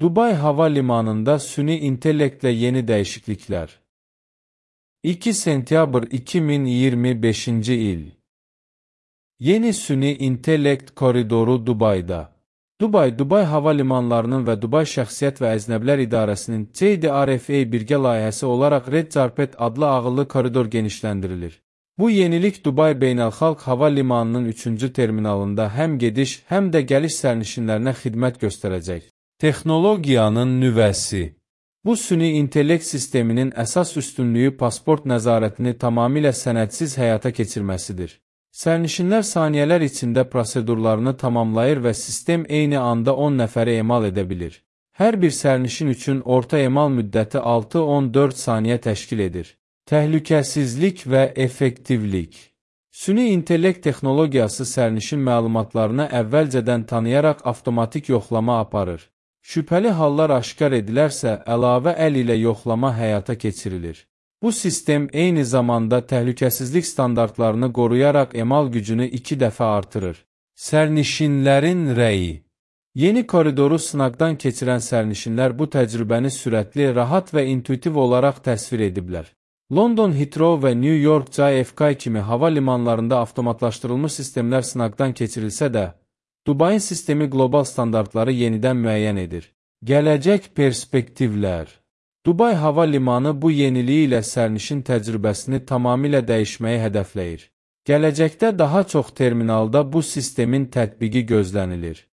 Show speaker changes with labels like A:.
A: Dubay Hava Limanında süni intellektlə yeni dəyişikliklər. 2 sentyabr 2025-ci il. Yeni süni intellekt koridoru Dubayda. Dubay Hava Limanlarının və Dubay Şəxsiyyət və Əznəblər İdarəsinin CDRFA birgə layihəsi olaraq Red Carpet adlı ağıllı koridor genişləndirilir. Bu yenilik Dubay Beynəlxalq Hava Limanının 3-cü terminalında həm gediş, həm də gəliş sərnişinlərinə xidmət göstərəcək. Texnologiyanın nüvəsi. Bu süni intellekt sisteminin əsas üstünlüyü pasport nəzarətini tamamilə sənədsiz həyata keçirməsidir. Sərnişinlər saniyələr içində prosedurlarını tamamlayır və sistem eyni anda 10 nəfəri emal edə bilir. Hər bir sərnişin üçün orta emal müddəti 6-14 saniyə təşkil edir. Təhlükəsizlik və effektivlik. Süni intellekt texnologiyası sərnişin məlumatlarını əvvəlcədən tanıyaraq avtomatik yoxlama aparır. Şübhəli hallar aşkar edilərsə, əlavə əl ilə yoxlama həyata keçirilir. Bu sistem eyni zamanda təhlükəsizlik standartlarını qoruyaraq emal gücünü 2 dəfə artırır. Sərnişinlərin rəyi. Yeni koridoru sınaqdan keçirən sərnişinlər bu təcrübəni sürətli, rahat və intuitiv olaraq təsvir ediblər. London Heathrow və New York JFK kimi hava limanlarında avtomatlaşdırılmış sistemlər sınaqdan keçirilsə də, Dubayın sistemi qlobal standartları yenidən müəyyən edir. Gələcək perspektivlər. Dubay Hava Limanı bu yeniliyi ilə sərnişin təcrübəsini tamamilə dəyişməyi hədəfləyir. Gələcəkdə daha çox terminalda bu sistemin tətbiqi gözlənilir.